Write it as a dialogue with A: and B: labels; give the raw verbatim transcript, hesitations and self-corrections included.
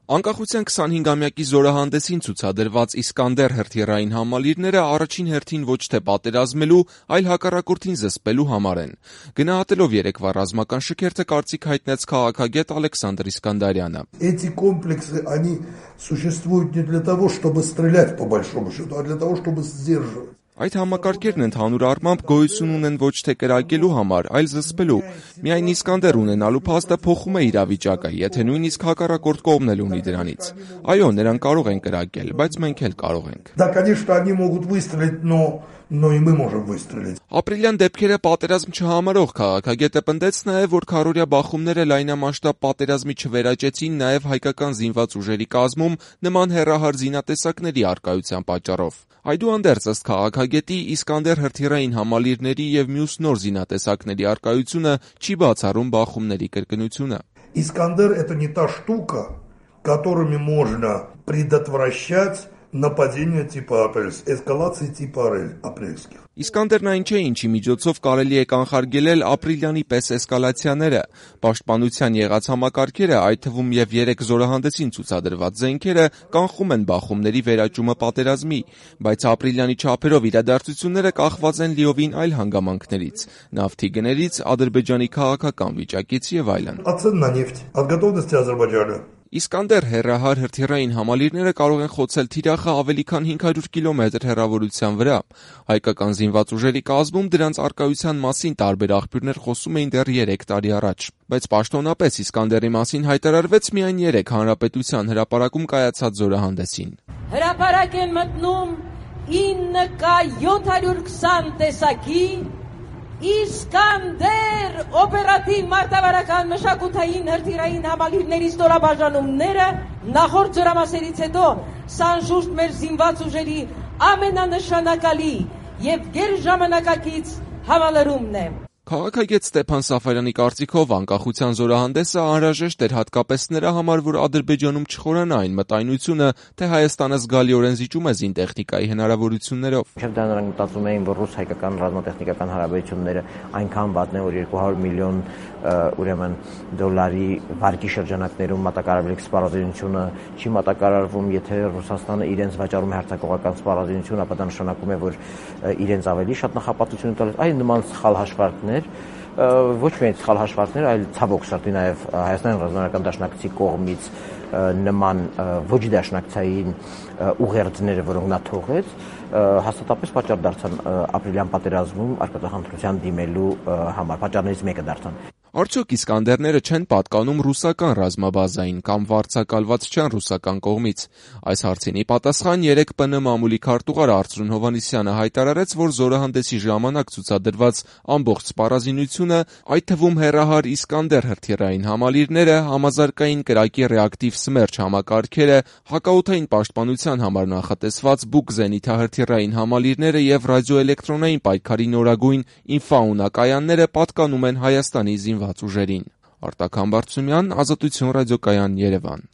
A: Անկախության քսանհինգամյակի զորահանդեսին ցուցադրված Իսկանդեր հրթիռային համալիրները առաջին հերթին ոչ թե պատերազմելու, այլ հակառակորդին զսպելու համար են։ Գնահատելով երեկվա ռազմական շքերթը կարծիք հայտնեց քաղաքագետ Ալեքսանդր Իսկանդարյանը։
B: Эти комплексы, они существуют не для того, чтобы стрелять по большому счету, а для того, чтобы сдерживать.
A: Այդ համակարգերն ընդհանուր առմամբ գոյություն ունեն ոչ թե կրակելու համար, այլ զսպելու։ Միայն Իսկանդեր ունենալու փաստը փոխում է իրավիճակը, եթե նույնիսկ հակառակորդ կողմն էլ ունի դրանից։ Այո, նրանք կարող են կրակել, բայց մենք էլ կարող ենք։
B: Да, конечно, они могут выстрелить, но но и мы можем выстрелить.
A: Ապրիլյան դեպքերը պատերազմ չհամարող քաղաքագետը պնդեց նաև, որ քառօրյա բախումները լայնամասշտաբ պատերազմի չվերանջեցին նաև հայկական զինված ուժերի կազմում նման հեռահար զինատեսակների առկայության պատճառով։ Այդուհանդերձ, ըստ քաղաքագետի, Իսկանդեր հրթիռային համալիրների եւ մյուս նոր զինատեսակների առկայությունը չի բացառում բախումների կրկնությունը։
B: Искандер — это не та штука, которыми можно предотвращать нападение типа апрельских, эскалации типа апрельских.
A: Իսկանդերն այն չէ, ինչի միջոցով կարելի է կանխարգելել ապրիլյանի պես էսկալացիաները։ Պաշտպանության եղած համակարգերը, այդ թվում եւ երեք զորահանդեսին ցուցադրված զենքերը, կանխում են բախումների վերաճումը պատերազմի, բայց ապրիլյանի չափերով իրադարձությունները կախված են լիովին այլ հանգամանքներից՝ նավթի գներից, Ադրբեջանի քաղաքական վիճակից եւ այլն։
B: Цен на нефть, от готовности Азербайджана.
A: Իսկանդեր հեռահար հրթիռային համալիրները կարող են խոցել թիրախը ավելի քան հինգ հարյուր կիլոմետր հեռավորության վրա։ Հայկական զինված ուժերի կազմում դրանց առկայության մասին տարբեր աղբյուրներ խոսում էին դեռ երեք տարի առաջ։ Բայց պաշտոնապես Իսկանդերի մասին հայտարարվեց միայն երեք Հանրապետության հրապարակում կայացած զորահանդեսին։
C: Հրապարակ են մտնում ինը կա յոթ հարյուր քսան տեսակի Իսկանդեր օպերատիվ մարտավարական մշակութային հրթիռային համալիրների ստորաբաժանումները նախորդ զորամասերից հետո սա անշուշտ մեր զինված ուժերի ամենանշանակալի եւ գերժամանակակից համալրումն է։
A: Քաղաքագետ Ստեփան Սաֆարյանի կարծիքով անկախության զորահանդեսը անհրաժեշտ էր հատկապես նրա համար, որ Ադրբեջանում չխորանա այն մտայնությունը, թե Հայաստանը զգալիորեն զիջում է զինտեխնիկայի հնարավորություններով։
D: Մինչև դա նրանք մտածում էին, որ ռուս-հայկական ռազմատեխնիկական հարաբերությունները այնքան վատն են, որ երկու հարյուր միլիոն ուրեմն դոլարի վարկի շրջանակներում մատակարարվելիք սպառազինությունը չի մատակարարվում, եթե Ռուսաստանը իրենց վաճառում է հարձակողական սպառազինություն, ապա դա նշանակում է, որ իրենց ավելի շատ նախապատվություն տալիս։ Այլ նման սխալ հաշվարկներ, ոչ միայն սխալ հաշվարկներ, այլ ցավոք սրտի նաև Հայաստանի ռազմական դաշնակցի կողմից նման ոչ դաշնակցային ուղերձները, որոնք նա թողեց, հաստատապես պատճառ դարձան ապրիլյան պատերազմում արկածախնդրության դիմելու համար, պատճառներից մեկը դարձան։
A: Արդյոք Իսկանդերները չեն պատկանում ռուսական ռազմաբազային կամ վարձակալված չեն ռուսական կողմից։ Այս հարցին ի պատասխան երեկ ՊՆ մամուլի քարտուղար Արծրուն Հովհաննիսյանը հայտարարեց, որ զորահանդեսի ժամանակ ցուցադրված ամբողջ սպառազինությունը, այդ թվում հեռահար Իսկանդեր հրթիռային համալիրները, համազարգային կրակի ռեակտիվ Սմերչ համակարգերը, հակաօդային պաշտպանության համար նախատեսված Բուկ զենիթահրթիռային համալիրները եւ ռադիոէլեկտրոնային պայքարի նորագույն ինֆաունա կայանները պատկանում են Հայաստանի զինված ուժերին։ Արտակ Համբարձումյան, Ազատություն ռադիոկայան, Երևան։